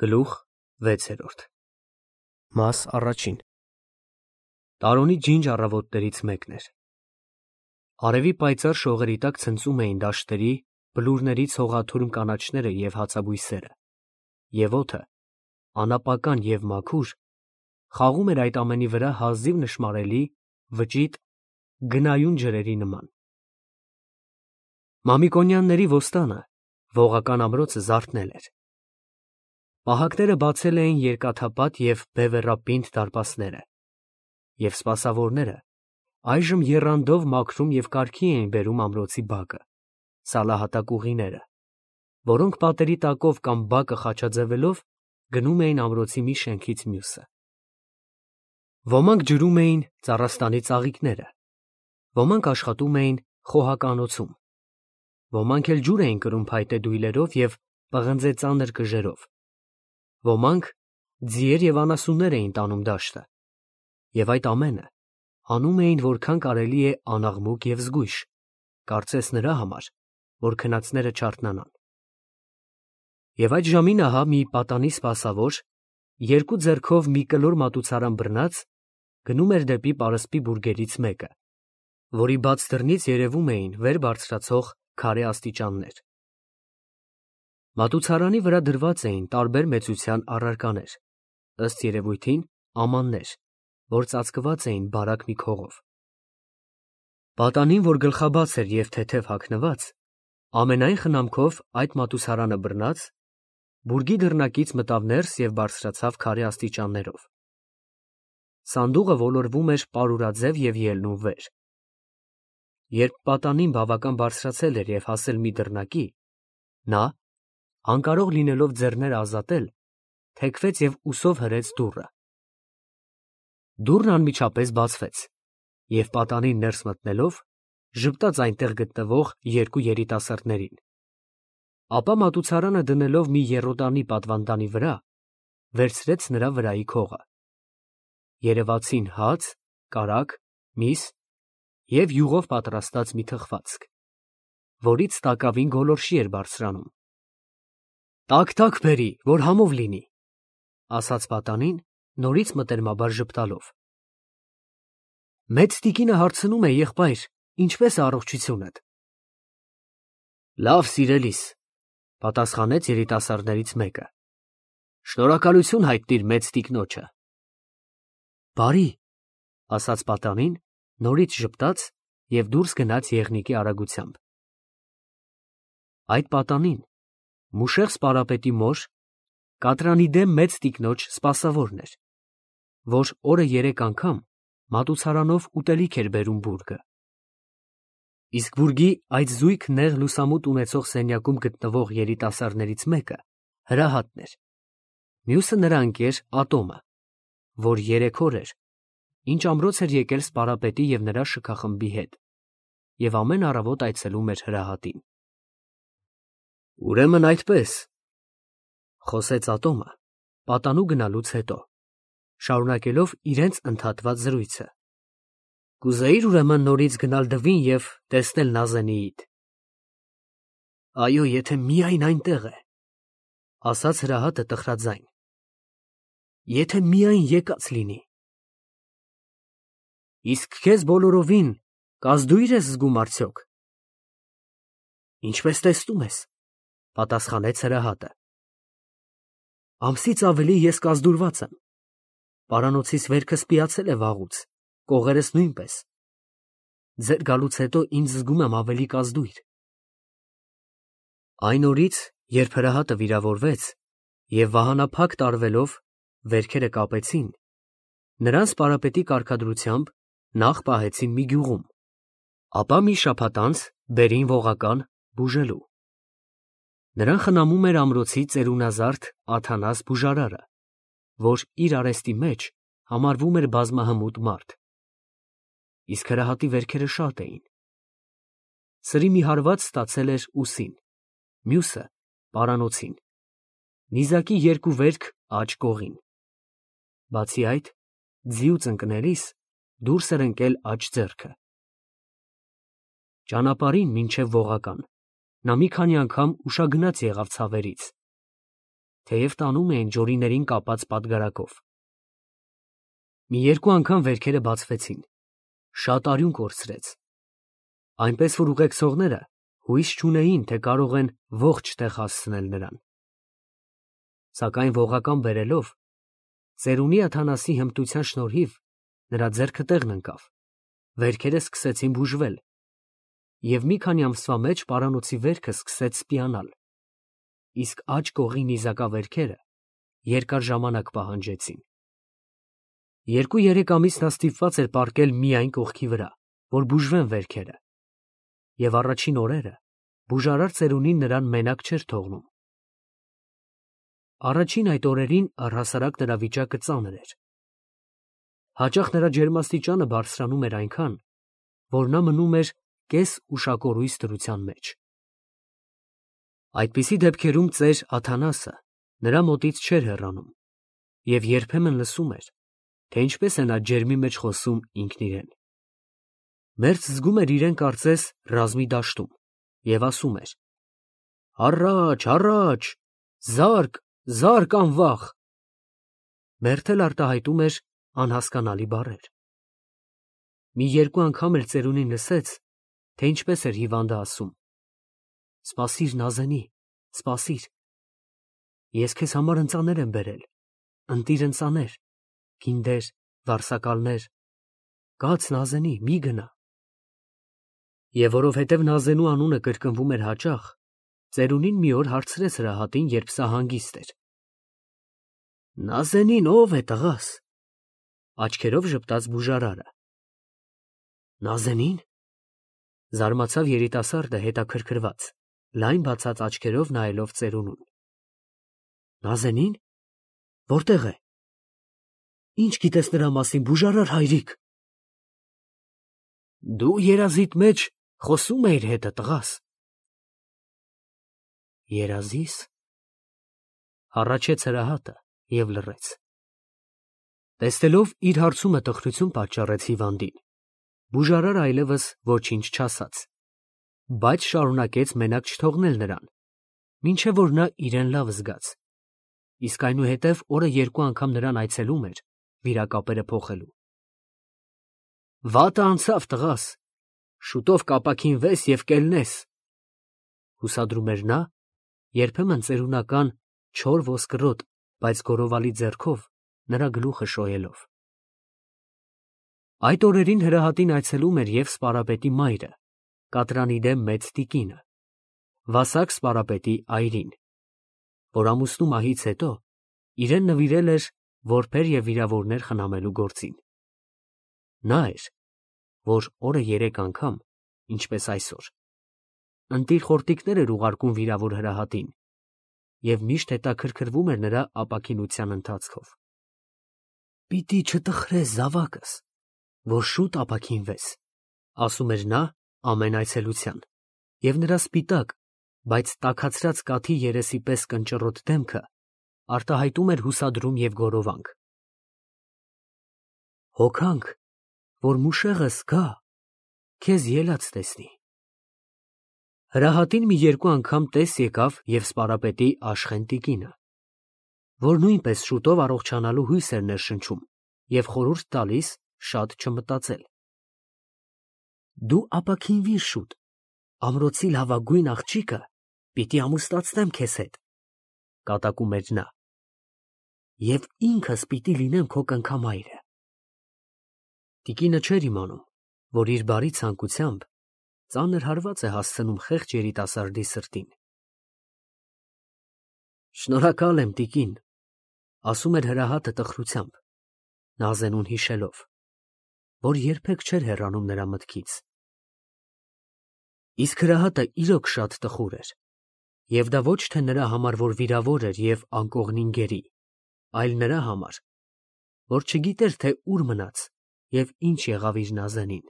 Գլուխ 6 Մաս առաջին Տարոնի ջինջ առավոտներից մեկն էր։ Արևի պայծառ շողերի տակ ցնծում էին դաշտերի, բլուրներից հողաթուրմ կանաչները և հացաբույսերը, և օդը, անապական և մաքուր, խաղում էր այդ ամենի վրա հազիվ նշմարելի, վճիտ, գնայուն ջրերի նման։ Մամիկոնյանների ոստանը, ողական ամրոցը զարթնել էր։ Պահակները բացել էին երկաթապատ և բևեռապինդ դարպասները, և սպասավորները այժմ եռանդով մաքրում և կարգի էին բերում ամրոցի բակը, սալահատակ ուղիները, որոնք պատերի տակով կամ բակը խաչաձևելով գնում էին ամրոցի մի շենքից մյուսը։ Ոմանք ջրում էին ծառաստանի ծաղիկները, ոմանք աշխատում էին խոհականոցում, ոմանք էլ ջուր էին կրում փայտե դույլերով և պղնձե ծանր կժերով, ոմանք ձիեր և անասուններ էին տանում դաշտը, և այդ ամենը անում էին որքան կարելի է անաղմուկ և զգույշ, կարծես նրա համար, որ քնածները չարթնանան։ Եվ այդ ժամին ահա մի պատանի սպասավոր, երկու ձեռքով մի կլոր մատուցարան բռնած, գնում էր դեպի պարսպի բուրգերից մեկը, որի բաց դռնից երևում էին վեր բարձրացող քարե աստիճաններ։ Մատուցարանի վրա դրված էին տարբեր մեծության առարկաներ, ըստ երևույթին ամաններ, որ ծածկված էին բարակ մի քողով։ Պատանին, որ գլխաբաց էր և թեթև հագնված, ամենայն խնամքով այդ մատուցարանը բռնած, բուրգի դռնակից մտավ ներս և բարձրացավ քարե աստիճաններով։ Սանդուղը ոլորվում էր պարուրաձև և ելնում վեր։ Երբ պատանին բավական բարձրացել էր և հասել մի դռնակի, նա, անկարող լինելով ձեռները ազատել, թեքվեց և ուսով հրեց դուռը։ Դուռն անմիջապես բացվեց, և պատանին ներս մտնելով, ժպտաց այնտեղ գտնվող երկու երիտասարդներին, ապա մատուցարանը դնելով մի եռոտանի պատվանդանի վրա, վերցրեց նրա վրայի քողը։ Երևացին հաց, կարագ, միս և յուղով պատրաստած մի թխվածք, որից տակավին գոլորշի էր բարձրանում։ «Տաք բերի, որ համով լինի», ֊ ասաց պատանին, նորից մտերմաբար ժպտալով։ «Մեծ տիկինը հարցնում է, եղբայր, ինչպե՞ս է առողջությունդ»։ «Լավ, սիրելիս», ֊ պատասխանեց երիտասարդներից մեկը։ «Շնորհակալություն հայտնիր մեծ տիկնոջը»։ «Բարի», ֊ ասաց պատանին, նորից ժպտաց և դուրս գնաց եղնիկի արագությամբ։ Այդ պատանին, մուշեղ սպարապետի մոր, կատրանի դեմ մեծ տիկնոջ սպասավորն էր, որ օրը 3 անգամ մատուցարանով ուտելիք էր բերում բուրգը։ Իսկ բուրգի այդ զույգ նեղ լուսամուտ ունեցող սենյակում գտնվող երիտասարդներից մեկը Հրահատն էր, մյուսը նրա ընկեր Ատոմը, որ 3 օր էր, ինչ ամրոց էր եկել սպարապետի և նրա շքախմբի հետ, և ամեն առավոտ այցելում էր Հրահատին։ «Ուրեմն այդպես», ֊ խոսեց Ատոմը, պատանու գնալուց հետո, շարունակելով իրենց ընդհատված զրույցը։ «Կուզեիր ուրեմն նորից գնալ Դվին և տեսնել Նազենիիդ»։ «Այո, եթե միայն այնտեղ է», ֊ ասաց Հրահատը տխրաձայն։ «Եթե միայն եկած լինի»։ «Իսկ քեզ բոլորովին կազդուի՞ր ես զգում արդյոք»։ «Ինչպես տեսնում ես», ֊ պատասխանեց Հրահատը։ «Ամսից ավելի ես կազդուրված եմ, պարանոցիս վերքս պիացել է վաղուց, կողերս նույնպես։ Ձեր գալուց հետո ինձ զգում եմ ավելի կազդույր»։ Այն օրից, երբ Հրահատը վիրավորվեց և վահանափակ տարվելով վերքերը կապեցին, նրան սպարապետի կարգադրությամբ նախ պահեցին մի գյուղում, ապա մի շաբաթ անց բերին Ողական բուժելու։ Նրան խնամում էր ամրոցի ծերունազարդ Աթանաս բուժարարը, որ իր արեստի մեջ համարվում էր բազմահմուտ մարդ։ Իսկ Հրահատի վերքերը շատ էին։ Սրի մի հարված ստացել էր ուսին, մյուսը պարանոցին, նիզակի 2 վերք աջ կողին։ Բացի այդ, ձիուց ընկնելիս դուրս էր ընկել աջ ձեռքը։ Ճանապարհին մինչև Ողական նա մի քանի անգամ ուշագնաց եղավ ցավերից, թեև տանում էին ջորիներին կապած պատգարակով։ Մի երկու անգամ վերքերը բացվեցին, շատ արյուն կորցրեց, այնպես որ ուղեկցողները հույս չունեին, թե կարող են ողջ տեղ հասցնել նրան։ Սակայն ողական բերելով, ծերունի Աթանասի հմտության շնորհիվ նրա ձեռքը տեղն ընկավ, վերքերը սկսեցին բուժվել, և մի քանի ամսվա մեջ պարանոցի վերքը սկսեց սպիանալ, իսկ աջ կողի նիզակավերքերը երկար ժամանակ պահանջեցին։ 2-3 ամիս նա ստիպված էր պառկել միայն կողքի վրա, որ բուժվեն վերքերը, և առաջին օրերը բուժարար ծերունին նրան մենակ չէր թողնում։ Առաջին այդ օրերին առհասարակ նրա վիճակը ծանր էր։ Հաճախ նրա ջերմաստիճանը բարձրանում էր այնքան, որ նա մնում էր կես ուշակորույս դրության մեջ։ Այդպիսի դեպքերում ծեր Աթանասը նրա մոտից չէր հեռանում և երբեմն լսում էր, թե ինչպես է նա ջերմի մեջ խոսում ինքն իրեն։ Մերձ զգում էր իրեն կարծես ռազմի դաշտում և ասում էր. «Առաջ, առաջ, զարկ, զարկ անվախ»։ Մերթ էլ արտահայտում էր անհասկանալի բառեր։ Մի երկու անգամ էլ ծերունին լսեց, թե ինչպես էր հիվանդը ասում. «Սպասիր, Նազենի, սպասիր, ես քեզ համար ընծաներ եմ բերել, ընտիր ընծաներ, գինդեր, վարսակալներ, կաց Նազենի, մի գնա»։ Եվ որովհետև Նազենու անունը կրկնվում էր հաճախ, ծերունին մի օր հարցրեց հրահատին, երբ սա հանգիստ էր. «Նազենին ո՞վ է, տղաս»։ Աչքերով ժպտաց բուժարարը։ «Նազենին»։ Զարմացավ երիտասարդը հետաքրքրված, լայն բացած աչքերով նայելով ծերունուն։ «Նազենին, որտե՞ղ է։ Ինչ գիտես նրա մասին, բուժարար հայրիկ»։ Դու երազիդ մեջ խոսում էիր հետը, տղաս։ Երազի՞ս։ Հառաչեց հրահատը և լռեց։ Տեսնելով իր հարցումը տխրություն պատճառեց հիվանդին, բուժարարը այլևս ոչինչ չասաց, բայց շարունակեց մենակ չթողնել նրան, մինչև որ նա իրեն լավ զգաց, իսկ այնուհետև օրը երկու անգամ նրան այցելում էր վիրակապերը փոխելու։ Վատը անցավ, տղաս, շուտով կապաքինվես և կելնես, հուսադրում էր նա, երբեմն ծերունական չոր ոսկրոտ, բայց գորովալի ձեռքով նրա գլուխը շոյելով։ Այդ օրերին հրահատին այցելում էր և սպարապետի մայրը, կատրանի դեմ մեծ տիկինը, վասակ սպարապետի այրին, որ ամուսնու մահից հետո իրեն նվիրել էր որբեր և վիրավորներ խնամելու գործին։ Նա էր, որ օրը 3 անգամ, ինչպես այսօր, ընտիր խորտիկներ էր ուղարկում վիրավոր հրահատին և միշտ հետաքրքրվում էր նրա ապաքինության ընթացքով։ Պիտի չտխրես, զավակս, որ շուտ ապաքինվես, ասում էր նա ամեն այցելության, և նրա սպիտակ, բայց տաքացրած կաթի երեսի պես կնճռոտ դեմքը արտահայտում էր հուսադրում և գորովանք։ Հոգանք, որ մուշեղս գա, քեզ ելած տեսնի։ Հրահատին մի երկու անգամ տես եկավ և սպարապետի Աշխեն տիկինը, որ նույնպես շուտով առողջանալու հույս էր ներշնչում և խորհուրդ տալիս շատ չմտածել։ Դու ապաքինվիր շուտ, ամրոցի լավագույն աղջիկը պիտի ամուսնացնեմ քեզ հետ, կատակում էր նա, և ինքս պիտի լինեմ քո կնքամայրը։ Տիկինը չէր իմանում, որ իր բարի ցանկությամբ ծանր հարված է հասցնում խեղճ երիտասարդի սրտին։ Շնորհակալ եմ, տիկին, ասում էր հրահատը տխրությամբ, Նազենուն հիշելով, որ երբեք չէր հեռանում նրա մտքից։ Իսկ հրահատը իրոք շատ տխուր էր, և դա ոչ թե նրա համար, որ վիրավոր էր և անկողնին գերի, այլ նրա համար, որ չգիտեր, թե ուր մնաց և ինչ եղավ իր Նազենին։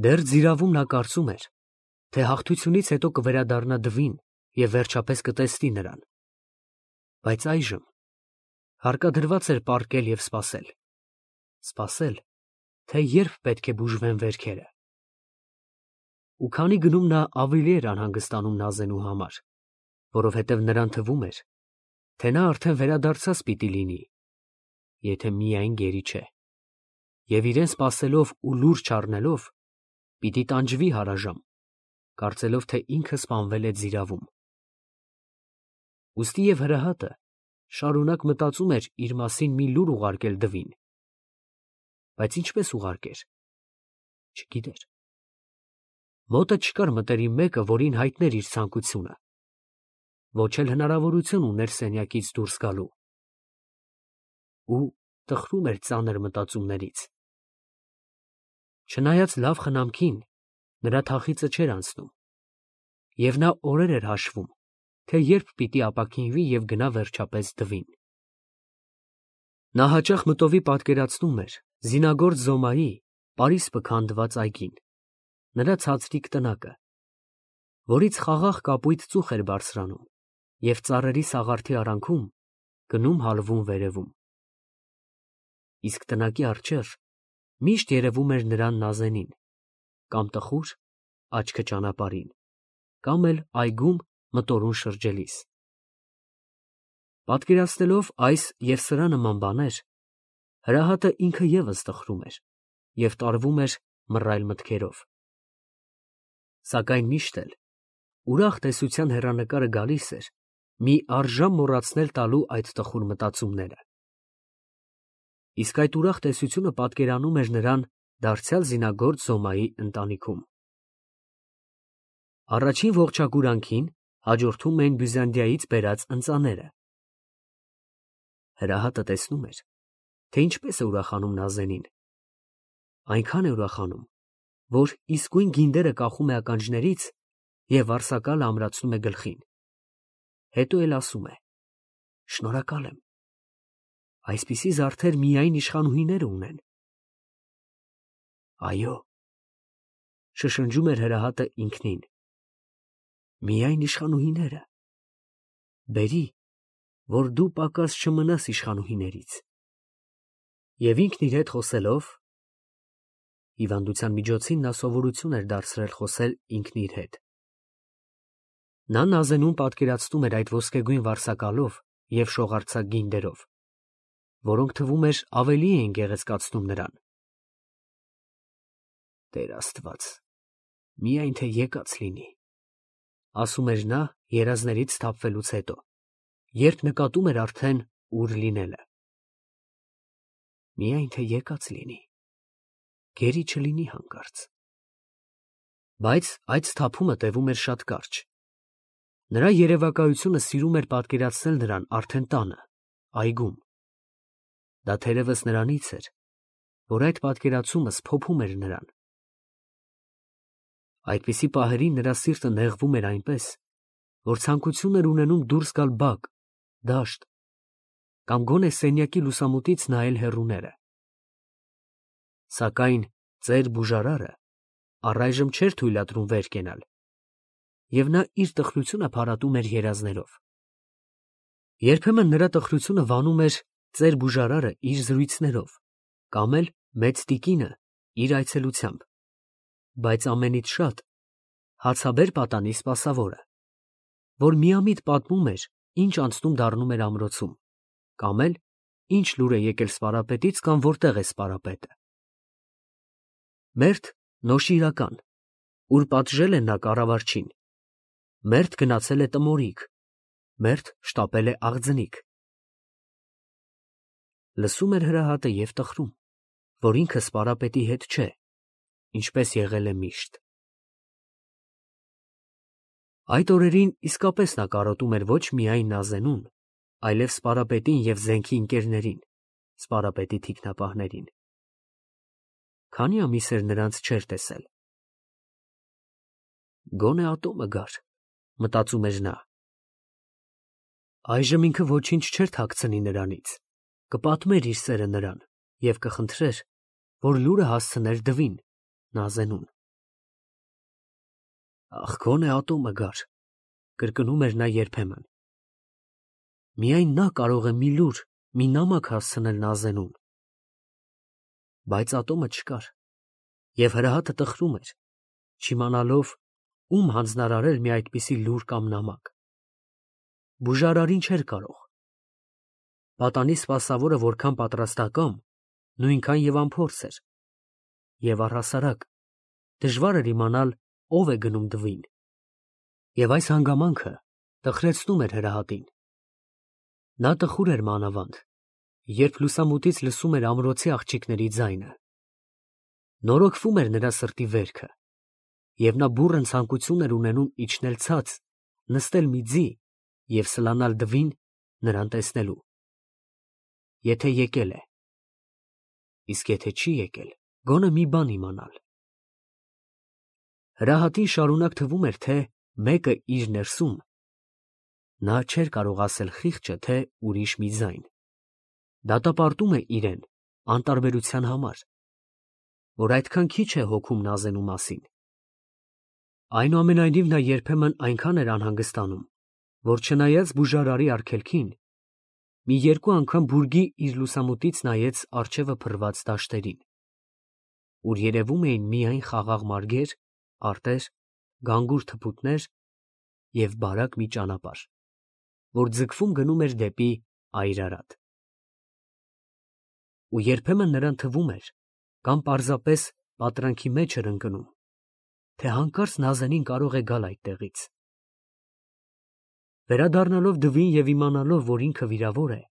Դեռ ձիրավում նա կարծում էր, թե հաղթությունից հետո կվերադառնա Դվին և վերջապես կտեսնի նրան, բայց այժմ հարկադրված էր պառկել և սպասել, սպասել, թե երբ պետք է բուժվեն վերքերը։ Ու քանի գնում նա ավելի էր անհանգստանում Նազենու համար, որովհետև նրան թվում էր, թե նա արդեն վերադարձած պիտի լինի, եթե միայն գերի չէ, և իրեն սպասելով ու լուրջ առնելով, պիտի տանջվի հարաժամ, կարծելով, թե ինքը սպանվել է ձիրավում։ Ուստի և հրեհատը շարունակ մտածում էր իր մասին մի լուր ուղարկել դվին, բայց ինչպես ուղարկեր, չգիտեր։ Մոտը չկար մտերիմ մեկը, որին հայտներ իր ցանկությունը, ոչ էլ հնարավորություն ուներ սենյակից դուրս գալու, ու տխրում էր ծանր մտածումներից։ Չնայած լավ խնամքին, նրա թախիծը չէր անցնում, և նա օրեր էր հաշվում, թե երբ պիտի ապաքինվի և գնա վերջապես դվին։ Նա հաճախ մտովի պատկերացնում էր զինագործ Զոմայի պարիսպը քանդված այգին, նրա ցածրիկ տնակը, որից խաղաղ կապույտ ծուխ էր բարձրանում և ծառերի սաղարթի արանքում գնում հալվում վերևում։ Իսկ տնակի առջև միշտ երևում էր նրան Նազենին, կամ տխուր, աչքը ճանապարհին, կամ էլ այգում մտորուն շրջելիս։ Պատկերացնելով այս և սրա նման բաներ, հրեհատը ինքը ևս տխրում էր և տարվում էր մռայլ մտքերով։ Սակայն միշտ էլ ուրախ տեսության հեռանկարը գալիս էր մի առժամ մոռացնել տալու այդ տխուր մտածումները։ Իսկ այդ ուրախ տեսությունը պատկերանում էր նրան դարձյալ զինագործ Զոմայի ընտանիքում։ Առաջին ողջակուրանքին հաջորդում էին Բյուզանդիայից բերած ընծաները։ Հրեհատը տեսնում էր, թե ինչպես է ուրախանում Նազենին։ Այնքան է ուրախանում, որ իսկույն գինդերը կախում է ականջներից և վարսակալը ամրացնում է գլխին։ Հետո էլ ասում է. «Շնորհակալ եմ, այսպիսի զարդեր միայն իշխանուհիները ունեն»։ Այո, շշնջում էր հրեհատը ինքնին, միայն իշխանուհիները։ Բերի, որ դու պակաս չմնաս իշխանուհիներից։ Եվ ինքն իր հետ խոսելով (հիվանդության միջոցին նա սովորություն էր դարձրել խոսել ինքն իր հետ), նա Նազենուն պատկերացնում էր այդ ոսկեգույն վարսակալով և շողարձակ գինդերով, որոնք թվում էր ավելի էին գեղեցկացնում նրան։ «Տեր Աստված, միայն թե եկած լինի», ասում էր նա երազներից սթափվելուց հետո, երբ նկատում էր արդեն ուր լինելը։ Միայն թե եկած լինի, գերի չլինի հանկարծ։ Բայց այդ սթափումը տևում էր շատ կարճ։ Նրա երևակայությունը սիրում էր պատկերացնել նրան արդեն տանը, այգում։ Դա թերևս նրանից էր, որ այդ պատկերացումը սփոփում էր նրան։ Այդպիսի պահերին նրա սիրտը նեղվում էր այնպես, որ ցանկություն էր ունենում դուրս գալ բակ, դաշտ, կամ գոնե սենյակի լուսամուտից նայել հեռուները։ Սակայն ծեր բուժարարը առայժմ չէր թույլատրում վեր կենալ, և նա իր տխրությունը փարատում էր երազներով։ Երբեմն նրա տխրությունը վանում էր ծեր բուժարարը իր զրույցներով, կամ էլ մեծ տիկինը իր այցելությամբ, բայց ամենից շատ հացաբեր պատանի սպասավորը, որ միամիտ պատմում էր, ինչ անցնում դառնում էր ամրոցում, կամ էլ ինչ լուր է եկել սպարապետից կամ որտեղ է սպարապետը։ Մերթ նոշիրական, ուր պատժել է նա կառավարչին, մերթ գնացել է տմորիկ, մերթ շտապել է աղձնիկ։ Լսում էր հրեհատը և տխրում, որ ինքը սպարապետի հետ չէ, ինչպես եղել է միշտ։ Այդ օրերին իսկապես նա կարոտում էր ոչ միայն Նազենուն, այլև սպարապետին և զենքի ընկերներին, սպարապետի թիկնապահներին։ Քանի ամիս էր նրանց չէր տեսել։ Գոնե ատոմը գար, մտածում էր նա։ Այժմ ինքը ոչինչ չէր թաքցնի նրանից, կպատմեր իր սերը նրան և կխնդրեր, որ լուրը հասցներ դվին, Նազենուն։ Ախ, գոնե ատոմը գար, կրկնում էր նա երբեմն։ Միայն նա կարող է մի լուր, մի նամակ հասցնել Նազենուն։ Բայց ատոմը չկար, և հրեհատը տխրում էր, չիմանալով ում հանձնարարել մի այդպիսի լուր կամ նամակ։ բուժարարին չէր կարող։ Պատանի սպասավորը որքան պատրաստակամ, նույնքան եւ անփորձ էր, եւ առհասարակ դժվար էր իմանալ ով է գնում դվին, եւ այս հանգամանքը տխրեցնում էր Հրահատին։ Նա տխուր էր մանավանդ, երբ լուսամուտից լսում էր ամրոցի աղջիկների ձայնը։ Նորոգվում էր նրա սրտի վերքը, եւ նա բուռն ցանկություն էր ունենում իջնել ցած, նստել մի ձի եւ սլանալ դվին նրան տեսնելու։ Եթե եկել է, իսկ եթե չի եկել, գոնե մի բան իմանալ։ Հրահատին շարունակ թվում էր, թե մեկը իր ներսում, նա չէր կարող ասել խիղճը, թե ուրիշ մի ձայն, դատապարտում է իրեն անտարբերության համար, որ այդքան քիչ է հոգում նազենու մասին։ Այնուամենայնիվ նա երբեմն այնքան էր անհանգստանում, որ չնայած բուժարարի արգելքին, մի երկու անգամ բուրգի իր լուսամուտից նայեց առջևը փռված դաշտերին, ուր երևում էին միայն խաղաղ մարգեր, արտեր, գանգուր թփուտներ և բարակ մի ճանապարհ, որ ձգվում գնում էր դեպի Այրարատ։ Ու երբեմն նրան թվում էր, կամ պարզապես պատրանքի մեջ էր ընկնում, թե հանկարծ Նազենին կարող է գալ այդտեղից։ Վերադառնալով դվին և իմանալով, որ ինքը վիրավոր է,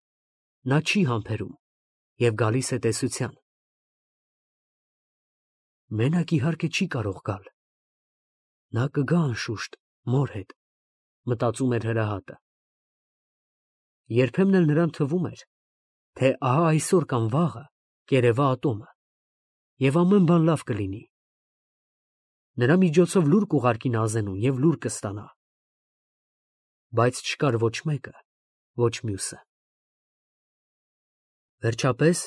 նա չի համբերում և գալիս է տեսության։ Մենակ իհարկե չի կարող գալ։ Նա կգա անշուշտ մոր հետ, մտածում էր Հրահատը։ Երբեմն էլ նրան թվում էր, թե ահա այսօր կամ վաղը կերևա ատոմը, և ամեն բան լավ կլինի։ Նրա միջոցով լուր կուղարկի Նազենուն և լուր կստանա։ Բայց չկար ոչ մեկը, ոչ մյուսը։ Վերջապես,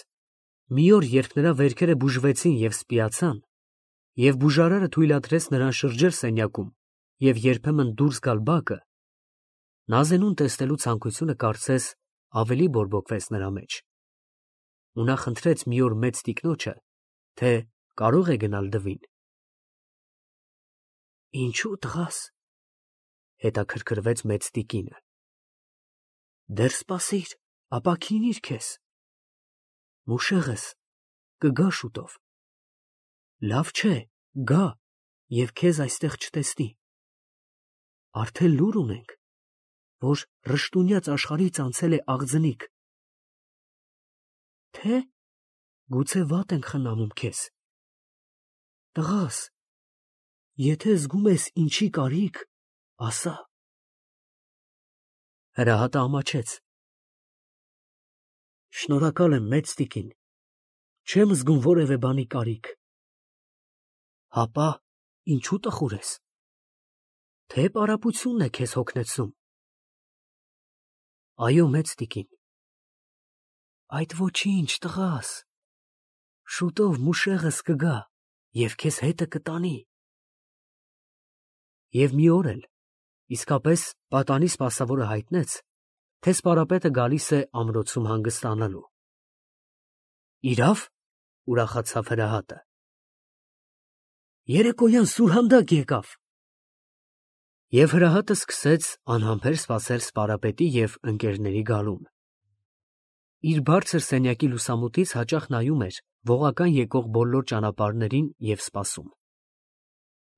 մի օր, երբ նրա վերքերը բուժվեցին և սպիացան, և բուժարարը թույլատրեց նրան շրջել սենյակում և երբեմն դուրս գալ բակը, Նազենուն տեսնելու ցանկությունը կարծես ավելի բորբոքվեց նրա մեջ, ու նա խնդրեց մի օր մեծ տիկնոջը, թե կարող է գնալ դվին։ Ինչո՞ւ, տղաս, հետաքրքրվեց մեծ տիկինը։ Դեռ սպասիր, ապա քինիր քեզ։ Մուշեղս կգա շուտով։ Լավ չէ, գա և քեզ այստեղ չտեսնի։ Արդեն լուր ունենք, որ ռշտունյաց աշխարհից անցել է աղձնիկ։ Թե՞ գուցե վատ ենք խնամում քեզ։ Տղաս, եթե զգում ես ինչի կարիք, ասա։ Հրահատը ամաչեց։ Շնորհակալ եմ, մեծ տիկին, չեմ զգում որևէ բանի կարիք։ Հապա ինչու տխուր ես։ Թե պարապությունն է քեզ հոգնեցնում։ Այո, մեծ տիկին։ Այդ ոչինչ, տղաս, շուտով մուշեղս կգա և քեզ հետը կտանի։ Եվ մի օր էլ, իսկապես, պատանի սպասավորը հայտնեց, թե սպարապետը գալիս է ամրոցում հանգստանալու։ Իրավ, ուրախացավ Հրահատը։ Երեկոյան սուրհանդակ եկավ։ Եվ Հրահատը սկսեց անհամբեր սպասել սպարապետի և ընկերների գալուն։ Իր բարձր սենյակի լուսամուտից հաճախ նայում էր ողական եկող բոլոր ճանապարհներին և սպասում։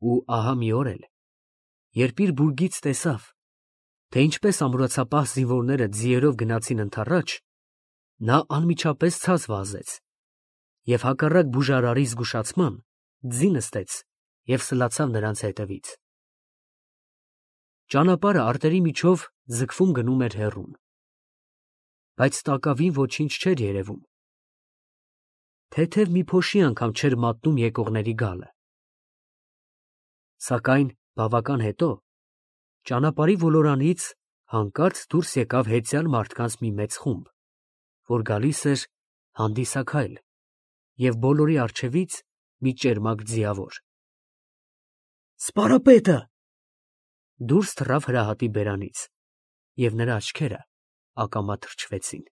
Ու ահա մի օր էլ, երբ իր բուրգից տեսավ, թե ինչպես ամրոցապահ զինվորները ձիերով գնացին ընդառաջ, նա անմիջապես ցած վազեց և հակառակ բուժարարի զգուշացման ձի նստեց և սլացավ նրանց հետևից։ Ճանապարհը արտերի միջով ձգվում գնում էր հեռուն, բայց տակավին ոչինչ չէր երևում։ Թեթև մի փոշի անգամ չէր մատնում եկողների գալը։ Սակայն բավական հետո ճանապարհի ոլորանից հանկարծ դուրս եկավ հեծյալ մարդկանց մի մեծ խումբ, որ գալիս էր հանդիսաքայլ, և բոլորի առջևից մի ճերմակ ձիավոր։ Սպարապետը… Դուրս թռավ Հրահատի բերանից, և նրա աչքերը ակամա թրջվեցին։